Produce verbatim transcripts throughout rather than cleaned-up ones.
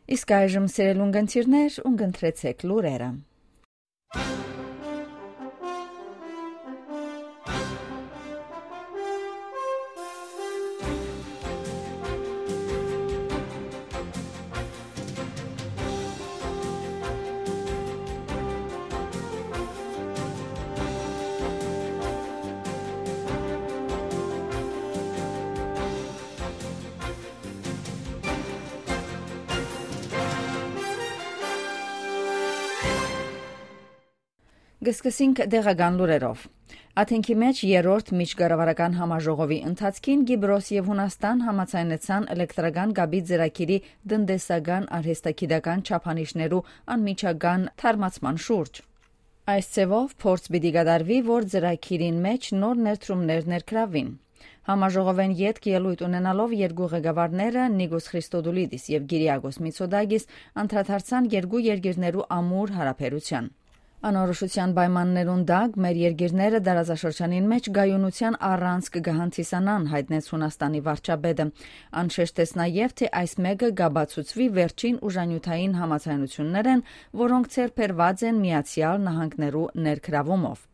Իսկ այժմ, սիրելի ունգընտիրներ, ունգընտրեցէք լուրերը։ Կը սկսենք տեղական լուրերով։ Աթենքի մէջ երրորդ միջկառավարական համաժողովի ընթացքին Կիպրոս եւ Յունաստան համաձայնեցան էլեկտրական կապի ծրագիրի տնտեսական արհեստագիտական չափանիշներու անմիջական թարմացման շուրջ։ Այս ձեւով փորձ պիտի կատարուի, որ ծրագիրին մէջ նոր ներդրումներ ներգրավին։ Համաժողովէն ետք ելոյթ ունենալով երկու ղեկավարները՝ Նիկոս Խրիստոդուլիդիս եւ Կիրիակոս Միցոդակիս, անդրադարձան երկու երկիրներու ամուր յարաբերութեան։ Անորոշութեան պայմաններուն տակ մեր երկիրները տարածաշրջանին մէջ կայունութեան առանցք կը հանդիսանան, յայտնեց Յունաստանի վարչապետը։ Ան շեշտեց նաեւ, թէ այս մէկը կապացուցուի վերջին ուժանիւթային համաձայնութիւններէն, որոնք ձեռք բերուած են Միացեալ Նահանգներու ներգրավումով։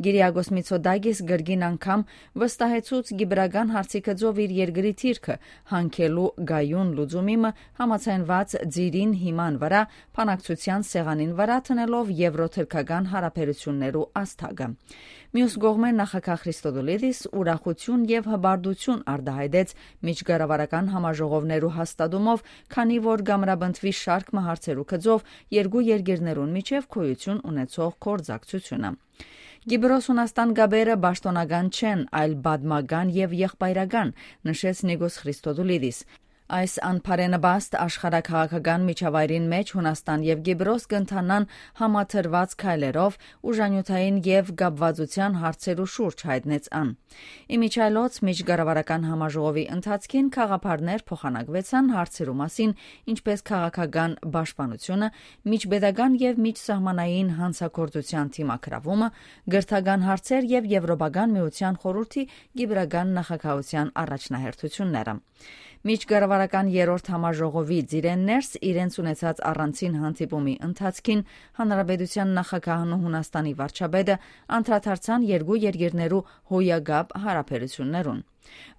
Կիրիակոս Միցոդակիս կրկին անգամ վստահեցուց կիպրական հարցի գծով իր երկրի դիրքը հանգելու կայուն լուծումի մը համաձայնուած ծիրին հիման վրայ բանակցութեան սեղանին վրայ դնելով եվրոթրքական յարաբերութիւններու ազդակը։ Միւս կողմէ, նախագահ Խրիստոդուլիդիս ուրախութիւն եւ հպարտութիւն արտահայտեց միջկառավարական համաժողովներու հաստատումով, քանի որ կ'ամրապնդուի շարք մը հարցերու գծով երկու երկիրներուն միջեւ գոյութիւն ունեցող գործակցութիւնը։ Կիպրոս-Յունաստան կապերը պաշտօնական չեն, այլ պատմական եւ եղբայրական, նշեց Նիկոս Խրիստոդուլիդիս։ Այս անբարենպաստ աշխարհաքաղաքական միջավայրին մէջ Յունաստան եւ Կիպրոս կ'ընթանան համադրուած քայլերով ուժանիւթային եւ կապուածութեան հարցերու շուրջ, յայտնեց ան։ Ի միջի այլոց, միջկառավարական համաժողովի ընթացքին գաղափարներ փոխանակուեցան հարցերու մասին, ինչպէս քաղաքական պաշտպանութիւնը, միջպետական եւ միջսահմանային յանցագործութեան դիմագրաւումը, կրթական հարցեր եւ Եվրոպական Միութեան խորհուրդի կիպրական նախագահութեան առաջնահերթութիւնները։ Միջկառավարական երրորդ համաժողովի ծիրէն ներս իրենց ունեցած առանձին հանդիպումի ընթացքին Հանրապետութեան նախագահն ու Յունաստանի վարչապետը անդրադարձան երկու երկիրներու հոյակապ յարաբերութիւններուն։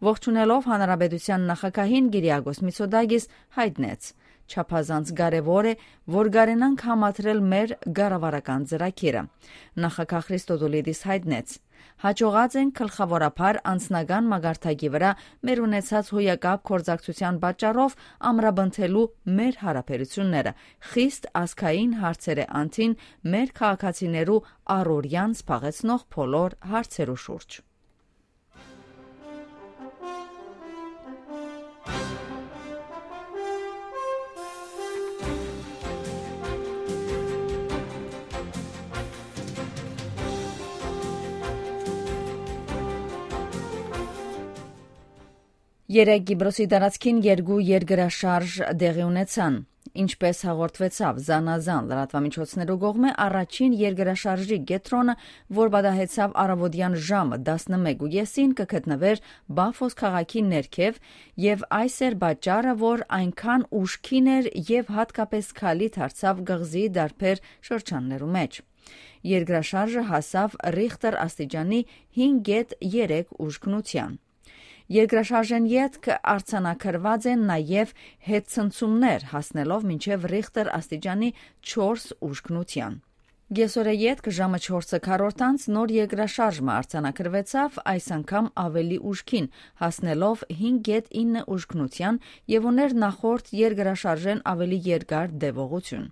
Ողջունելով հանրապետութեան նախագահին, Կիրիակոս Միցոդակիս յայտնեց. «Չափազանց կարեւոր է, որ կարենանք համադրել մեր կառավարական ծրագիրը»։ Նախագահ Խրիստոդուլիդիս յայտնեց. «Յաջողած ենք գլխաւորաբար անձնական մակարդակի վրայ մեր ունեցած հոյակապ գործակցութեան պատճառով ամրապնդելու մեր յարաբերութիւնները, խիստ ազգային հարցերէ անդին մեր քաղաքացիներու առօրեան զբաղեցնող բոլոր հարցերու շուրջ»։ Երեկ Կիպրոսի տարածքին երկու երկրաշարժ տեղի ունեցան։ Ինչպէս հաղորդուեցաւ զանազան լրատուամիջոցներու կողմէ, առաջին երկրաշարժի կեդրոնը, որ պատահեցաւ առաւօտեան ժամը տասնմեկ ու կեսին, կը գտնուէր Պաֆոս քաղաքի ներքեւ, եւ այս էր պատճառը, որ այնքան ուժգին էր եւ յատկապէս քալի դարձաւ կղզիի տարբեր շրջաններու մէջ։ Երկրաշարժը հասաւ Ռիխտեր աստիճանի հինգ կետ երեք ուժգնութեան։ Երկրաշարժէն ետք արձանագրուած են նաեւ հետցնցումներ, հասնելով մինչեւ Ռիխտեր աստիճանի չորս ուժգնութեան։ Կեսօրէ ետք ժամը չորսը քառորդ անց նոր երկրաշարժ մը արձանագրուեցաւ, այս անգամ աւելի ուժգին, հասնելով հինգ կետ ինը ուժգնութեան, եւ ուներ նախորդ երկրաշարժէն աւելի երկար տեւողութիւն։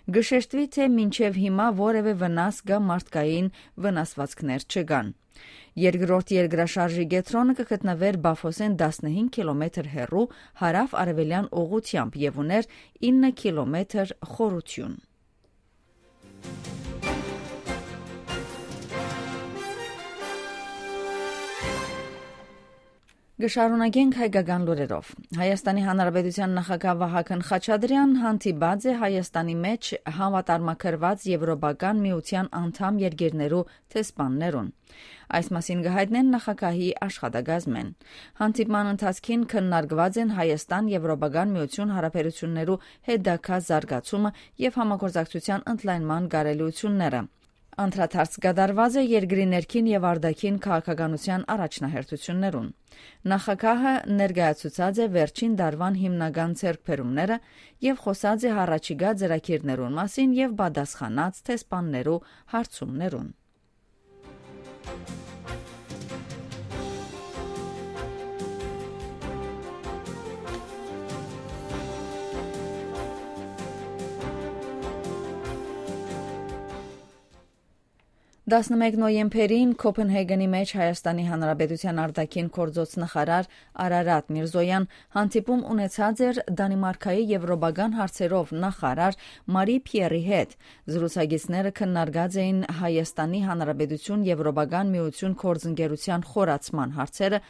Կը շեշտուի, թէ մինչեւ հիմա որեւէ վնաս կամ մարդկային վնասուածքներ չկան։ Երկրորդ երկրաշարժի կեդրոնը կը գտնուէր Պաֆոսէն տասնհինգ կիլոմեթր հեռու հարաւ-արեւելեան ուղղութեամբ եւ ուներ ինը կիլոմեթր խորութիւն։ Կը շարունակենք հայկական լուրերով։ Հայաստանի Հանրապետության նախագահ Վահագն Խաչատրեան հանդիպած է Հայաստանի մէջ համատարմագրուած Եվրոպական Միութեան անդամ երկիրներու դեսպաններուն։ Այս մասին կը յայտնեն նախագահի աշխատակազմէն։ Հանդիպման ընթացքին քննարկուած են Հայաստան-Եվրոպական Միություն հարաբերութիւններու հետագայ զարգացումը եւ համագործակցութեան ընդլայնման կարելիութիւնները։ Անդրադարձ կատարուած է երկրի ներքին եւ արտաքին քաղաքականութեան առաջնահերթութիւններուն։ Նախագահը ներկայացուցած է վերջին տարուան հիմնական ձեռքբերումները եւ խօսած է յառաջիկայ ծրագիրներուն մասին եւ պատասխանած դեսպաններու հարցումներուն։ Տասնմէկ նոյեմբերին Կոպենհեգենի մէջ Հայաստանի Հանրապետութեան արտաքին գործոց նախարար Արարատ Միրզոյան հանդիպում ունեցած էր Դանիմարքայի եվրոպական հարցերով նախարար Մարի Փիերի հետ։ Զրուցակիցները քննարկած էին Հայաստանի Հանրապետություն Եվրոպական Միություն գործընկերութեան խորացման հարցերը,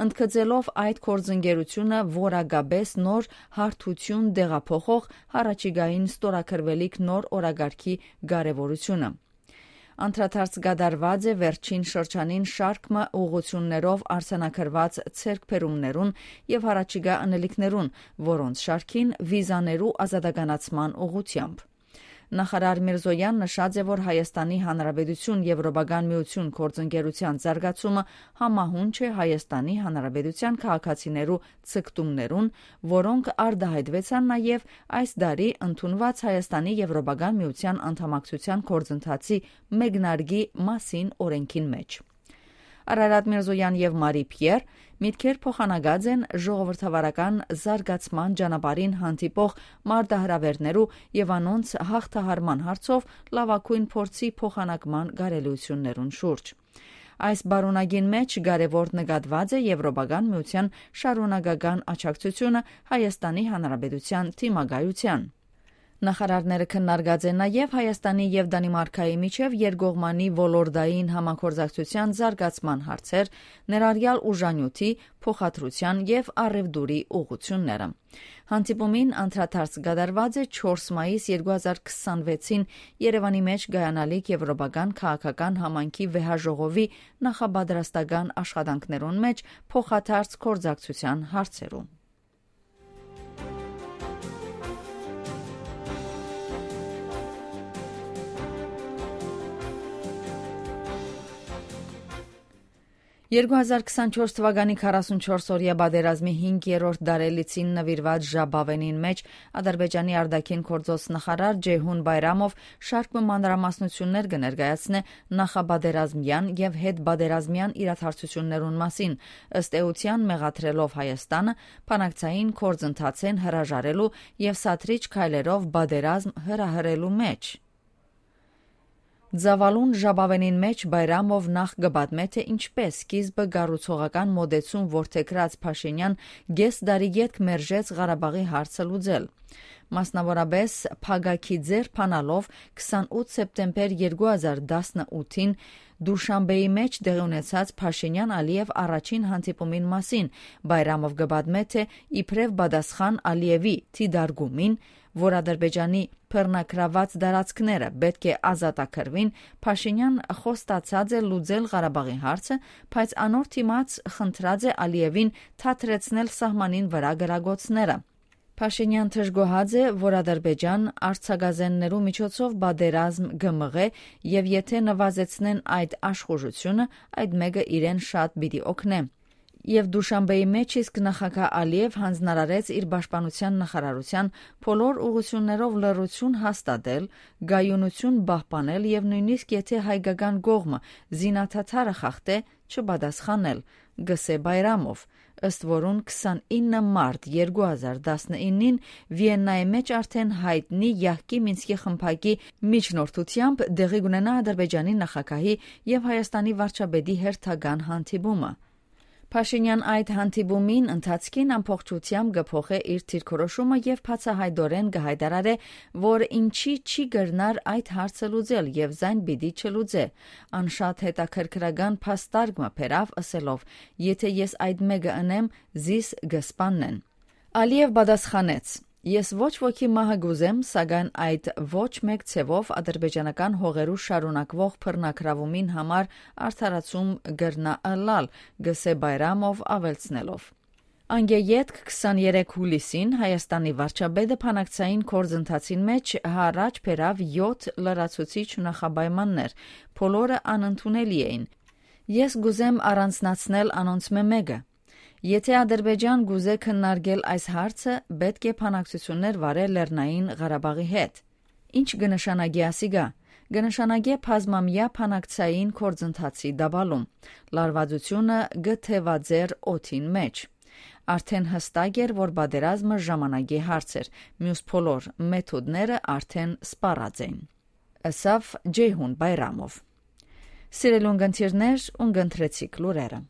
ընդգծելով այդ գործընկերությունը որակապէս նոր հարթութիւն տեղափոխող յառաջիկային ստորագրուելիք նոր օրակարգի կարեւորութիւնը։ Անդրադարձ կատարուած է վերջին շրջանին շարք մը ուղղութիւններով արձանագրուած ձեռքբերումներուն եւ յառաջիկայ ընելիքներուն, որոնց շարքին վիզաներու ազատականացման ուղղութեամբ։ Նախարար Միրզոյան նշած է, որ Հայաստանի Հանրապետություն Եվրոպական Միություն գործընկերութեան զարգացումը համահունչ է Հայաստանի Հանրապետութեան քաղաքացիներու ձգտումներուն, որոնք արտայայտուեցան նաեւ այս տարի ընդունուած Հայաստանի Եվրոպական Միութեան անդամակցութեան գործընթացի մեկնարկի մասին օրէնքին մէջ։ Արարատ Միրզոյան եւ Մարի Փիեր միտքեր փոխանակած են ժողովրդավարական զարգացման ճանապարհին հանդիպող մարտահրաւէրներու եւ անոնց յաղթահարման հարցով լաւագոյն փորձի փոխանակման կարելիութիւններուն շուրջ։ Այս պարունակին մէջ կարեւոր նկատուած է Եվրոպական Միութեան շարունակական աջակցութիւնը Հայաստանի Հանրապետութեան դիմակայութեան։ Նախարարները քննարկած են նաեւ Հայաստանի եւ Դանիմարքայի միջեւ երկկողմանի ոլորտային համագործակցութեան զարգացման հարցեր, ներառյալ ուժանիւթի, փոխադրութեան եւ առեւտուրի ուղղութիւնները։ Հանդիպումին անդրադարձ կատարուած է չորս մայիս երկու հազար քսանվեցին Երեւանի մէջ կայանալիք եվրոպական քաղաքական համայնքի վեհաժողովի նախապատրաստական աշխատանքներուն մէջ փոխադարձ գործակցութեան հարցերու։ Երկու հազար քսանչորս թվականի քառասունչորս օրեայ պատերազմի հինգերորդ տարելիցին նուիրուած ժապաւենին մէջ Ադրբեջանի արտաքին գործոց նախարար Ջեյհուն Բայրամով շարք մը մանրամասնութիւններ կը ներկայացնէ նախապատերազմեան եւ հետպատերազմեան իրադարձութիւններուն մասին, ըստ էութեան մեղադրելով Հայաստանը բանակցային գործընթացէն հրաժարելու եւ սադրիչ քայլերով պատերազմ հրահրելու մէջ։ Ծաւալուն ժապաւենին մէջ Բայրամով նախ կը պատմէ, թէ ինչպէս սկիզբը կառուցողական մօտեցում որդեգրած Փաշինեան կես տարի ետք մերժեց Ղարաբաղի հարցը լուծել։ Մասնաւորապէս փակագի ձեռ բանալով քսանութ սեպտեմբեր երկու հազար տասնութին Դուշանբեի մէջ տեղի ունեցած Փաշինեան-Ալիեւ առաջին հանդիպումին մասին Բայրամով կը պատմէ, թէ իբրեւ պատասխան Ալիեւի դիտարկումին, որ Ադրբեջանի բռնագրաւած տարածքները պէտք է ազատագրուին, Փաշինեան խոստացած է լուծել Ղարաբաղի հարցը, բայց անոր դիմաց խնդրած է Ալիեւին թատրեցնել սահմանին վրայ կրակոցները։ Փաշինեան դժգոհած է, որ Ադրբեջան արձագազեններու միջոցով պատերազմ կը մղէ եւ եթէ նուազեցնեն այդ աշխուժութիւնը, այդ մէկը իրեն շատ պիտի օգնէ։ Եւ Դուշանբեի մէջ իսկ նախագահ Ալիեւ յանձնարարեց իր պաշտպանութեան նախարարութեան բոլոր ուղղութիւններով լռութիւն հաստատել, կայունութիւն պահպանել եւ նոյնիսկ եթէ հայկական կողմը զինադադարը խախտէ, չպատասխանել, կ'ըսէ Բայրամով, ըստ որուն քսանինը մարտ երկու հազար տասնինին Վիեննայի մէջ արդէն յայտնի յահկի Մինսկի խմբակի միջնորդութեամբ տեղի կ'ունենայ Ադրբեջանի նախագահի եւ Հայաստանի վարչապետի հերթական հանդիպումը։ Փաշինեան այդ հանդիպումին ընթացքին ամբողջությամբ կը փոխէ իր դիրքորոշումը եւ բացայայտօրէն կը յայտարարէ, որ ինչի չի կրնար այդ հարցը լուծել եւ զայն պիտի չլուծէ։ Ան շատ հետաքրքրական փաստարկ մը բերաւ, ըսելով. «Եթէ ես այդ մէկը ընեմ, զիս կը սպաննեն»։ Ալիեւ պատասխանեց. «Ես ոչ ոքի մահը կ'ուզեմ, սակայն այդ ոչ մէկ ձեւով ադրբեջանական հողերու շարունակուող բռնագրաւումին համար արդարացում կրնայ ըլլալ», կ'ըսէ Բայրամով, աւելցնելով. Անկէ ետք, քսաներեք յուլիսին, Հայաստանի վարչապետը բանակցային գործընթացին մէջ յառաջ բերաւ եօթ լրացուցիչ նախապայմաններ, բոլորը անընդունելի էին։ Ես կ'ուզեմ առանձնացնել անոնցմէ մէկը։ Եթէ Ադրբեջան կ'ուզէ քննարկել այս հարցը, պէտք է բանակցութիւններ վարէ Լեռնային Ղարաբաղի հետ։ Ի՞նչ կը նշանակի ասիկա։ Կը նշանակէ բազմամեայ բանակցային գործընթացի տապալում։ Լարուածութիւնը կը թեւածէր օդին մէջ։ Արդէն յստակ էր, որ պատերազմը ժամանակի հարց էր, միւս բոլոր մեթոդները արդէն սպառած էին, ըսաւ Ջեյհուն Բայրամով։ Սիրելի ունգընտիրներ, ունգընտրեցիք լուրերը։